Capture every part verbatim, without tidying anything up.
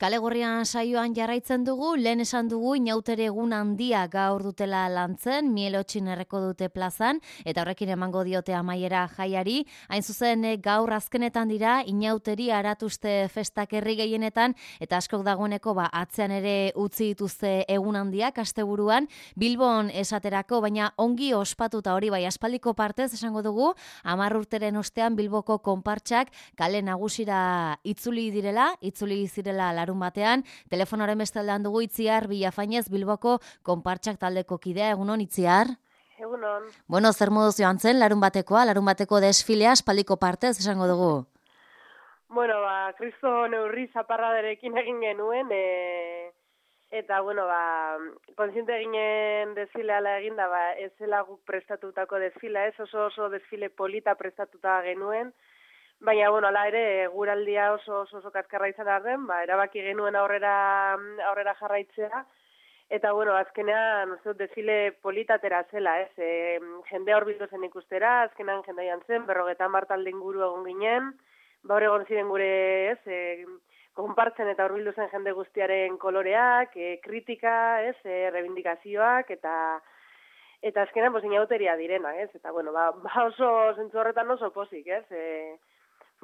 Kale Gorrian saioan jarraitzen dugu, lehen esan dugu inautere egun handia gaur dutela lantzen, Mielotxin erreko dute plazan, eta horrekin emango diote amaiera jaiari. Hain zuzen gaur azkenetan dira, inauteri aratuzte festak herri gehienetan, eta askok dagoeneko ba, atzean ere utzi dituzte egun handiak asteburuan, Bilbon esaterako, baina ongi ospatuta hori bai aspaldiko partez esango dugu, hamar urteren ostean Bilboko konpartsak kale nagusira itzuli direla, itzuli zirela larun batean, telefonoaren bestaldean dugu Itziar Villafañez Bilboko konpartsak taldeko kidea, egunon Itziar? Egunon. Bueno, zer moduz joan zen, larun batekoa, larun bateko desfilea, aspaldiko partez esango dugu? Bueno, ba, kristo neurri zaparraderekin egin genuen, e, eta, bueno, ba, kontziente eginen desfileala egin da, ba, ez zela guk prestatutako desfila, ez oso oso desfile polita prestatuta genuen, baina, bueno, ala ere, guraldia oso oso, oso kaskarra izan arren, ba, erabaki genuen aurrera, aurrera jarraitzea, eta, bueno, azkenean, uste dut, desfile politatera zela, ez, e, jendea horbildu zen ikustera, azkenean jendeian zen, berrogeta martalde inguru egon ginen, baur egon ziren gure, ez, e, konpartzen eta horbildu zen jende guztiaren koloreak, e, kritika, ez, e, rebindikazioak, eta eta azkenean, pues, inauteria direna, ez, eta, bueno, ba, ba oso zentzu horretan oso pozik, ez, e,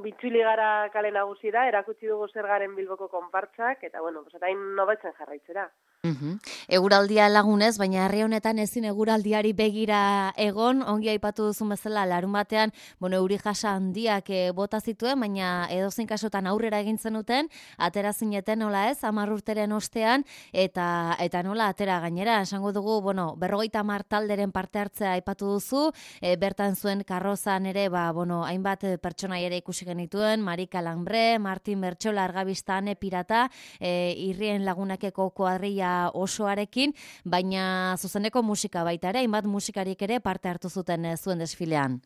bitxuli gara kale nagusira, erakutsi dugu zer garen Bilboko konpartzak, eta, bueno, pues, eta hain nobetzen jarraitzera. Uhum. Eguraldia lagunez, baina herri honetan ezin eguraldiari begira egon, ongi aipatu duzun bezala larun batean, bueno, euri jasa handiak e, bota zituen, baina edozein kasutan aurrera egin zenuten, atera zineten nola ez, hamar urteren ostean, eta eta nola atera gainera, esango dugu, bueno, berrogeita hamar talderen parte hartzea aipatu duzu, e, bertan zuen karrozan ere, ba, bueno, hainbat pertsonai ere ikusi genituen, Marika Lambre, Martin Bertxola, Argabista, Ane Pirata, e, irrien lagunakeko kuadrilla osoarekin, baina zuzeneko musika baita ere, hainbat musikarik ere parte hartu zuten e, zuen desfilean.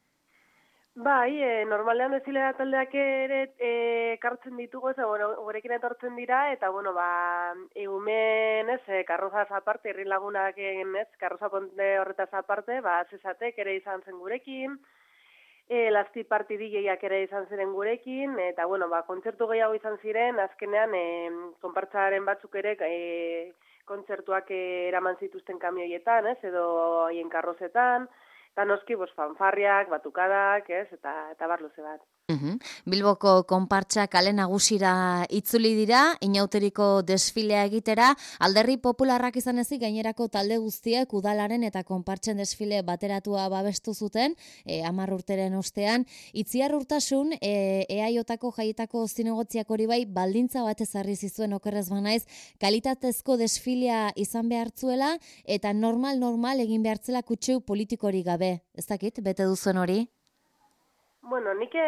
Bai, e, normalean desfilea taldeak ere e, kartzen ditugu, ez, bueno, gurekin etortzen dira, eta, bueno, ba, egumen, ez, e, karrozaz aparte, irri lagunak egin, ez, karroza ponte horretaz aparte, ba, zezatek ere izan zen gurekin, e, lasti partidilleiak ere izan ziren gurekin, eta, bueno, ba, kontzertu gehiago izan ziren, azkenean, e, konpartzaren batzuk ere, e, kontzertuak eraman zituzten kamioietan, ez, edo haien karrozetan, eta noski, bos, fanfarriak, batukadak, ez, eta, eta barluze bat. Uhum. Bilboko konpartsa kale nagusira itzuli dira, inauteriko desfilea egitera, alderri popularrak izan ezik gainerako talde guztiek udalaren eta konpartzen desfile bateratua babestu zuten, e, hamar urteren ostean, Itziar Urtasun, e, eaiotako jaietako zinegotziak hori bai, baldintza bat ezarri zizuen okerrez banaiz, kalitatezko desfilea izan behartzuela, eta normal-normal egin behartzela kutxeu politikorik gabe. Ez dakit, bete duzuen hori? Bueno, nik hitz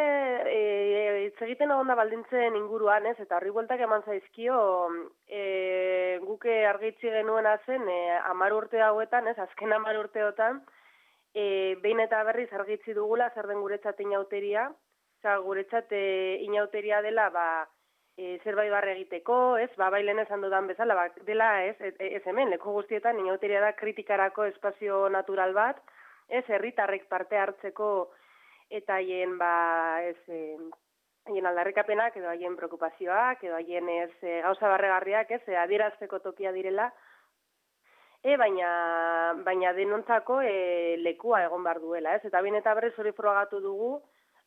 e, egiten egon da baldintzen inguruan, ez, eta horri bueltak eman zaizkio, e, guke argitzi genuena zen, e, hamar urte hauetan, ez, azken hamar urteotan, e, behin eta berriz argitzi dugula zer den guretzat inauteria, oza, guretzat e, inauteria dela, ba, e, zerbait barre egiteko, ez, ba, bailen esan dudan bezala, ba, dela, ez, ez hemen, leku guztietan, inauteria da kritikarako espazio natural bat, ez, herritarrek parte hartzeko, eta haien, ba, ez, e, haien aldarrikapenak, edo haien preokupazioak, edo haien ez, e, gauza barregarriak, ez, e, adierazteko tokia direla, e, baina, baina denontzako e, lekua egon behar duela, ez, eta bien eta berriz hori frogatu dugu,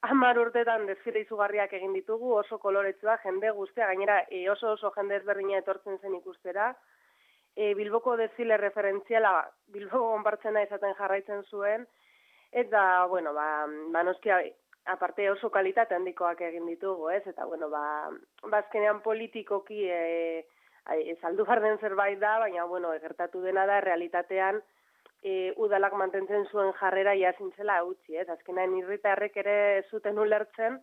hamar urtetan desfile izugarriak egin ditugu, oso koloretsua, jende guztia, gainera e, oso oso jende ezberdina etortzen zen ikustera, e, Bilboko desfile referentziala, Bilboko konpartzena izaten jarraitzen zuen, eta, bueno, ba, ba noski, aparte oso kalitate handikoak egin ditugu, ez? Eta, bueno, ba, bazkenean politikoki e, e, saldu barden zerbait da, baina, bueno, egertatu dena da, realitatean e, udalak mantentzen zuen jarrera jazintzela utzi, ez? Azkenean herritarrek ere zuten ulertzen,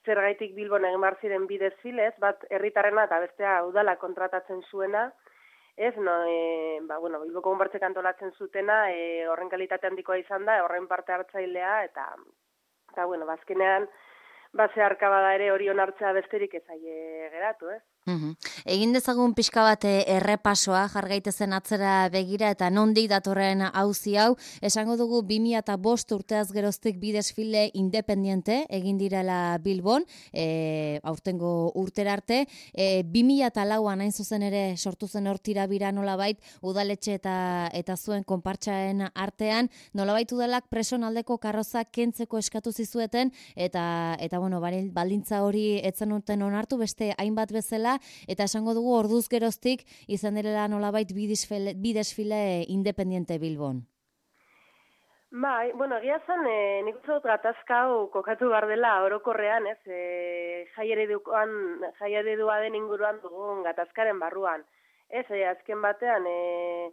zergaitik Bilbon egin behar ziren bi desfilez, bat herritarrena eta bestea udalak kontratatzen zuena, ez, no, e, ba, bueno, Bilboko konpartzek antolatzen zutena, e, horren kalitate handikoa izan da, horren parte hartzailea, eta, eta bueno, bazkenean, base arkabada ere hori onartzea besterik ez aie geratu, ez? Uhum. Egin dezagun pixka bat errepasoa, jargaitezen atzera begira eta nondik datorren auzi hau, esango dugu bi mila bost urteaz geroztik bi desfile independiente egin direla Bilbon, e, aurtengo urtera arte, e, bi mila lauan hain zuzen ere sortu zen hor tirabira nolabait, udaletxe eta eta zuen konpartxaen artean, nolabait udalak preson aldeko karrozak kentzeko eskatu zizueten, eta, eta bueno, baldintza hori etzen urten onartu, beste hainbat bezala, eta esango dugu orduz geroztik izan direla nolabait bi desfile, bi desfile independiente Bilbon. Bai, bueno, egia zen, e, nik uste dut gatazka hau kokatu behar dela orokorrean, ez, e, jai eredua den inguruan dugun gatazkaren barruan. Ez, e, azken batean, e,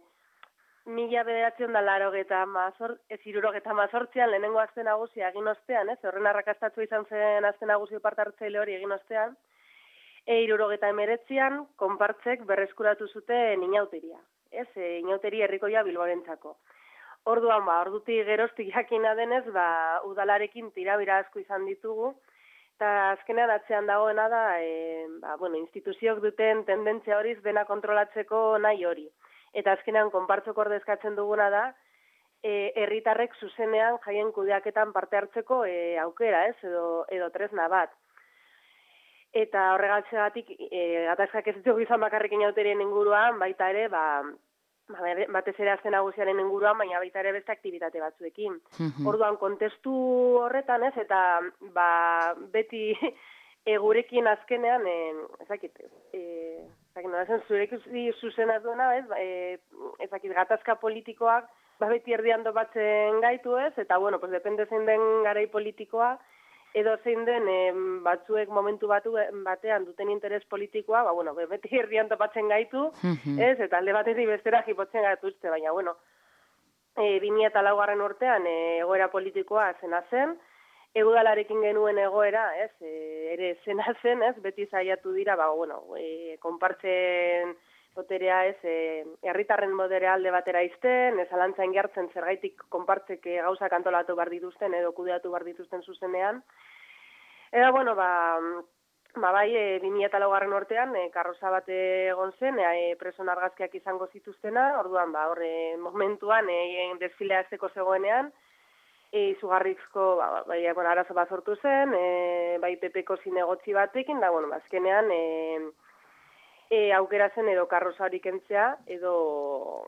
mila bederatzen da laro geta mazor, ez iruro geta mazortzean lehenengo azten nagusia egin ostean, ez, horren arrakastatzu izan zen azten nagusi parte hartzaile hori egin ostean, E irurogeta emeretzian, konpartzek berreskuratu zuten inauteria. Ez, e, inauteria herrikoia Bilborentzako. Orduan, ba, ordutik geroztik jakina denez, ba, udalarekin tirabira asko izan ditugu, eta azkenean atzean dagoena da, e, ba, bueno, instituziok duten tendentzia horiz dena kontrolatzeko nahi hori. Eta azkenean, konpartzok ordezkatzen duguna da, e, herritarrek zuzenean jaien kudeaketan parte hartzeko e, aukera, ez, edo, edo tresna bat. Eta horregatzegatik, e, gatazkak ez dugu izan bakarrik inauterien inguruan, baita ere, ba, batez ere azten nagusiaren inguruan, baina baita ere beste aktibitate batzuekin. Mm-hmm. Orduan, kontestu horretan ez, eta ba, beti e, gurekin azkenean, e, ezakit, e, ezakit, nola zen, zurekin zuzenaz duena, ez, e, ezakit, gatazka politikoak, ba, beti erdian batzen gaitu ez, eta, bueno, pues, depende zein den garai politikoa, edo zein den e, batzuek momentu batu batean duten interes politikoa, ba, bueno, beti herrian topatzen gaitu, mm-hmm. ez, eta alde batetik bestera jipotzen gaituzte, baina, bueno, e, bi mila laugarren urtean e, egoera politikoa zena zen, egudalarekin genuen egoera, ez, e, ere zena zen, ez, beti zaiatu dira, ba, bueno, e, konpartzen boterea, ez, herritarren boterea alde batera izten, ez alantzain jartzen zergaitik konpartzek gauzak antolatu behar dituzten edo kudeatu behar dituzten zuzenean. Eta, bueno, ba, ba bai, e, bi mila laugarren urtean, e, karroza bat egon zen, e, preson argazkiak izango zituztena, orduan, ba, horre momentuan, e, desfilea azteko zegoenean, e, izugarrizko, ba, bai, bueno, arazo bat sortu zen, e, bai, pepeko zinegotzi batekin, da, bueno, azkenean, e, E, aukera zen edo karroza hori kentzea, edo,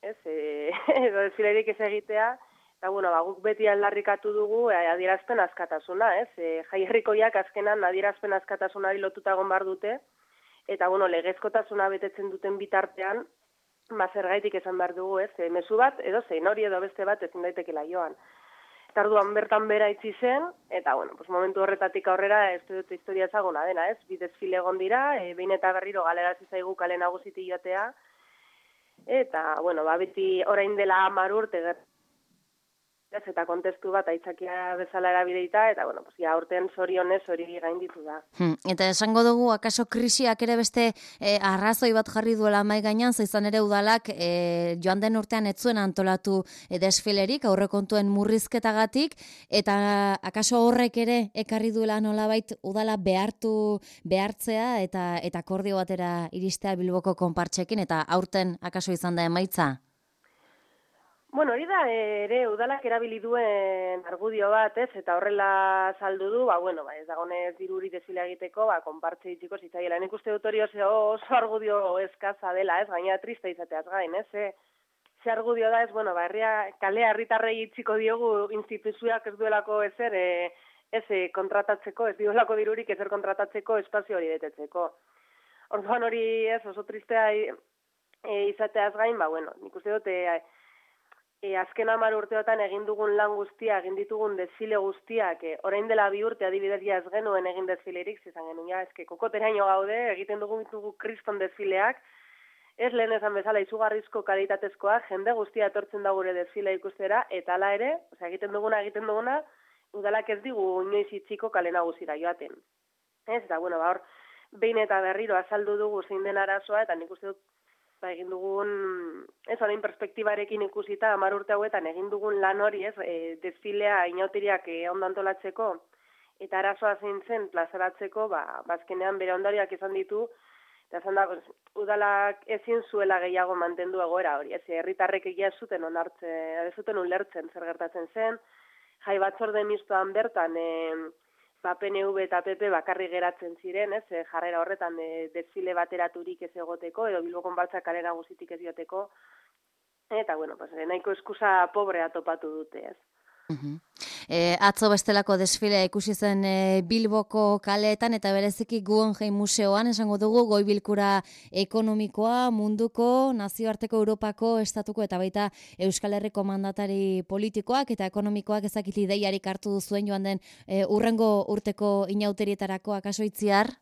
ez, e, edo desfilerik ez egitea, eta, bueno, ba, guk beti aldarrikatu dugu e, adierazpen askatasuna, ez, e, jai herrikoiak azkenan adierazpen askatasunari lotuta egon behar dute, eta, bueno, legezkotasuna betetzen duten bitartean, ba, zergaitik esan behar dugu, ez, e, mezu bat, edo zein hori edo beste bat ezin daitekela joan. Eta orduan bertan bera itzi zen, eta, bueno, pues momentu horretatik aurrera ez dut historia ezaguna dena, ez? Bi desfile egon dira, e, behin eta berriro galerazi zaigu kale nagusiti joatea, eta, bueno, ba, beti orain dela hamar urte ez, eta kontestu bat aitzakia bezala erabideita, eta, bueno, pues, ja, urtean zorionez hori gainditu da. Hmm, eta esango dugu, akaso krisiak ere beste eh, arrazoi bat jarri duela mai gainean, zaizan ere udalak eh, joan den urtean ez zuen antolatu eh, desfilerik, aurrekontuen murrizketagatik, eta akaso horrek ere ekarri duela nolabait udala behartu behartzea, eta eta akordio batera iristea Bilboko konpartxekin, eta aurten akaso izan da emaitza? Bueno, hori da ere udalak erabili duen argudio bat, ez, eta horrela saldu du, ba, bueno, ba, ez dagonez diruri desfilea egiteko, ba, konpartze itxiko zitzaiela. Nik uste dut hori oso, oso argudio eskaza dela, ez, gaina triste izateaz gain, ez, ze, ze argudio da, ez, bueno, ba, herria, kalea herritarrei itxiko diogu instituzioak ez duelako ezer, e, ez e, kontratatzeko, ez duelako dirurik ezer kontratatzeko espazio hori betetzeko. Orduan hori, ez, oso tristea e, izateaz gain, ba, bueno, nik uste dut, e, E, azken hamar urteotan egin dugun lan guztia, egin ditugun desfile guztiak, e, orain dela bi urte adibidez ja ez genuen egin desfilerik, zizan genuen, ja, eske kokoteraino gaude, egiten dugu ditugu kriston desfileak, ez lehen esan bezala izugarrizko kalitatezkoa, jende guztia etortzen da gure desfile ikustera, eta hala ere, osea, egiten duguna, egiten duguna, udalak ez digu inoiz itxiko kale nagusira joaten. Ez, eta, bueno, ba, hor, behin eta berriro azaldu dugu zein den arazoa, eta nik uste dut, ba, egin dugun, ez, orain perspektibarekin ikusita, hamar urte hauetan egin dugun lan hori, ez, e, desfilea inauteriak e, ondo antolatzeko, eta arazoa zein zen plazaratzeko, ba, bazkenean bere ondariak izan ditu, Eta esan da, pues, udalak ezin zuela gehiago mantendu egoera hori, ez herritarrek egia ez zuten onartzen, ez zuten ulertzen zer gertatzen zen, jai batzorde mistoan bertan, e, ba, P N V eta P P bakarrik geratzen ziren, ez, e, jarrera horretan e, desfile bateraturik ez egoteko, edo Bilbo konpartza kale nagusitik ez joteko, eta, bueno, pues, nahiko eskusa pobrea topatu dute, ez. Uh-huh. E, atzo bestelako desfilea ikusi zen e, Bilboko kaleetan eta bereziki Guggenheim Museoan, esango dugu, goi bilkura ekonomikoa, munduko, nazioarteko Europako, estatuko eta baita Euskal Herriko mandatari politikoak eta ekonomikoak ezakit ideiarik hartu duzuen joan den e, urrengo urteko inauterietarako akaso itziar?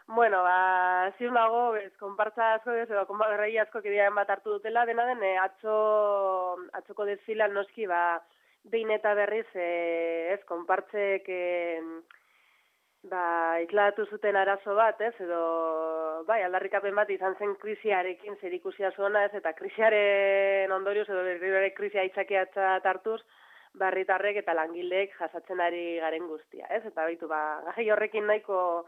Bueno, ba, ziur nago, ez, konpartza asko, ez, edo, konpartza asko kidean bat hartu dutela, dena den, e, atzo, atzoko desfilan noski, ba, behin eta berriz, e, ez, konpartzek, e, ba, ikladatu zuten arazo bat, ez, edo, bai, aldarrikapen bat izan zen krisiarekin zerikusia zuena, ez, eta krisiaren ondorioz, edo berriro krisia aitzakiatzat hartuz, barritarrek eta langileek jasatzen ari garen guztia, ez, eta baitu, ba, gai horrekin nahiko,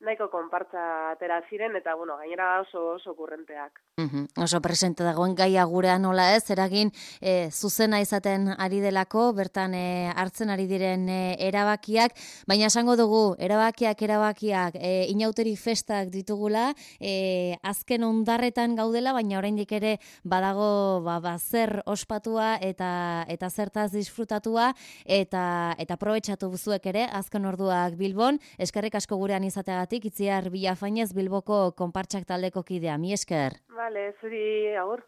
nahiko konpartza atera ziren, eta, bueno, gainera oso oso kurrenteak. Uhum. Oso presente dagoen gaia gurean nola ez, eragin e, zuzena izaten ari delako, bertan e, hartzen ari diren e, erabakiak, baina esango dugu, erabakiak, erabakiak, e, inauteri festak ditugula, e, azken ondarretan gaudela, baina oraindik ere badago ba, ba, zer ospatua eta eta zertaz disfrutatua, eta eta aprobetxatu buzuek ere, azken orduak Bilbon, eskerrik asko gurean izateagatik, Itziar Villafañez Bilboko konpartsak taldeko kidea, mi esker. Vale, zuri agur.